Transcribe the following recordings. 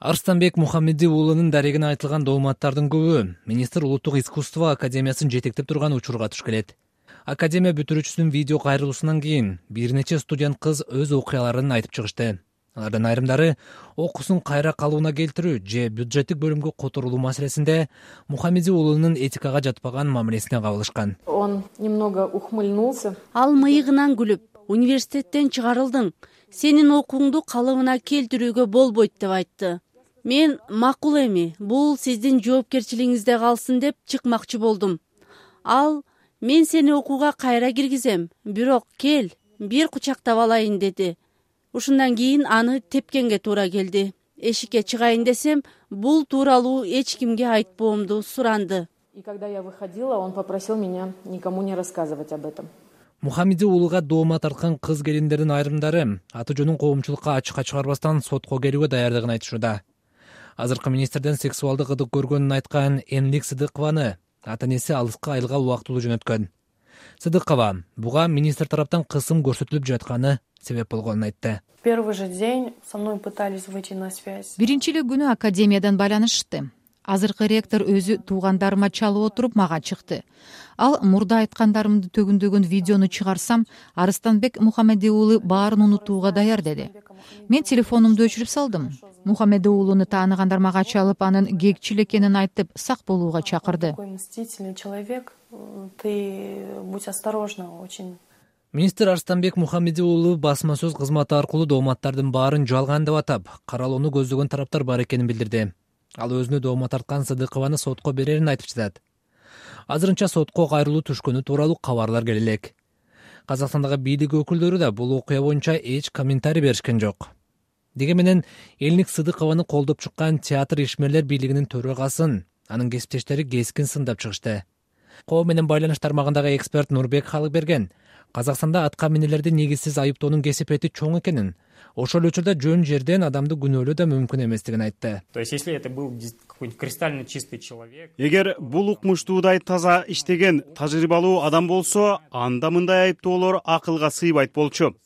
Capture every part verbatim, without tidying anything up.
Арстанбек Мухаммеди уулунун дарегине айтылган дооматтардын көбү министр Улуттук искусство академиясын жетектеп турган учурга туш келет. Академия бүтүрүүчүсүнүн видео кайрылуусунан кийин бир нече студент кыз өз окуяларын айтып чыгышты. Алардын айрымдары окуусун кайра калууна келтирүү же бюджеттик бөлүмгө которулуу маселесинде Мухаммеди уулунун этикага жатпаган мамилесине кабылышкан. Он немного ухмыльнулся. Ал мыйыгынан күлүп, университеттен чыгарылдың, сенин окууңду калыбына келтирүүгө болбойт деп айтты. Мен макул эми, бул сиздин жоопкерчилигиңизде калсын деп чыкмакчы болдум. Ал мен сени окууга кайра киргизем, бирок кел, бир кучактап алайын деди. Ушундан кийин аны тепкенге туура келди. Эшикке чыгайын десем, бул тууралуу эч кимге айтпоомду суранды. И когда я выходила, он попросил меня никому не рассказывать об этом. Мухаммеди уулуга доомат тарткан кыз келиндердин айрымдары аты жөнүн коомчулукка ачыкка чыгарбастан сотко келүүгө даярдыгын айтышууда. Азыркы министрден сексуалдык ыдык көргөнүн айткан Энлик Сыдыкованы ата-энеси алыска айылга убактылуу жөнөткөн. Сыдыкова буга министр тараптан кысым көрсөтүлүп жатканы себеп болгонун айтты. Первый же день со мной пытались выйти на связь. Биринчи эле күнү академиядан байланышты. Азыркы ректор өзү туугандарыма чалып отуруп мага чыкты. Ал мурда айткандарымды төгүндөгөн видеону чыгарсам, Арстанбек Мухаммеди уулу баарын унутууга даяр деди. Мен телефонумду өчүрүп салдым. Мухаммеди уулуну тааныгандар мага чалып, анын кекчил экенин айтып, сак болууга чакырды. Такой мстительный человек, ты будь осторожна очень. Министр Арстанбек Мухаммеди уулу басма сөз кызматы аркылуу дооматтардын баарын жалган деп атап, каралууну көздөгөн тараптар бар экенин билдирди. Ал өзүнө доомат тарткан Сыдыкованы сотко берерин айтып жатат. Азырынча сотко кайрылуу түшкөнү тууралуу кабарлар келе элек. Казакстандагы бийлик өкүлдөрү да бул окуя боюнча эч комментарий беришкен жок. Деге менен Элник Сыдыкованы колдоп чыккан театр ишмерлер бийлигинин төрагасын анын кесиптештери кескин сындап чыгышты. Коом менен байланыш тармагындагы эксперт Нурбек Халыкберген Казакстанда атка минелерди негизсиз айыптоонун кесипети чоң экенин, ошол учурда жөн жерден адамды күнөөлөө да мүмкүн эместигин айтты. То есть, если это был какой-нибудь кристально чистый человек. Эгер бул укмуштуудай таза иштеген, тажрыйбалуу адам болсо, анда мындай айыптоолор акылга сыйбайт болчу.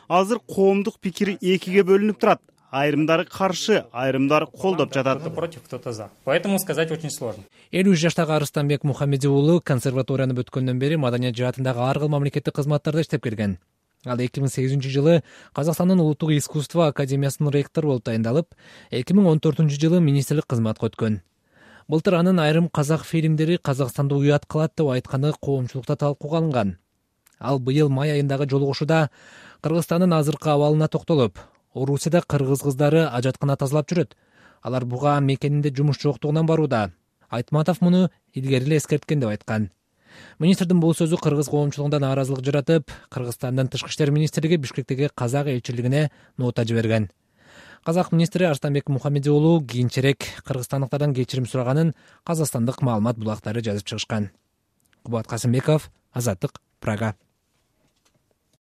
Азыр коомдук пикир экиге бөлүнүп турат. Айрымдары каршы, айрымдары колдоп жатат. Кто-то против, кто-то за. Поэтому сказать очень сложно. элүү үч жаштагы Арстанбек Мухаммеди уулу консерваторияны бүткөндөн бери маданият жаатындагы ар кыл мамлекеттик кызматтарда иштеп келген. Ал эки миң сегизинчи жылы Казакстандын Улуттук искусство академиясынын ректору болуп тайындалып, эки миң он төртүнчү жылы министрлик кызматка өткөн. Былтыр анын айрым казак фильмдери Казакстанды уят кылат деп айтканы коомчулукта талкууга алынган. Ал быйыл май айындагы жолугушууда Кыргызстандын азыркы абалына токтолуп, Орусияда кыргыз кыздары ажаткана тазалап жүрөт. Алар буга мекенинде жумуш жоктугунан барууда. Айтматов муну илгери эле эскерткен деп айткан. Министрдин бул сөзү кыргыз коомчулугунда нааразылык жаратып, Кыргызстандын тышкы иштер министрлиги Бишкектеги казак элчилигине нота жиберген. Казак министри Арстанбек Мухаммеди уулу кийинчерээк кыргызстандыктардан кечирим сураганын казакстандык маалымат булактары жазып чыгышкан. Кубат Касымбеков, Азаттык, Прага.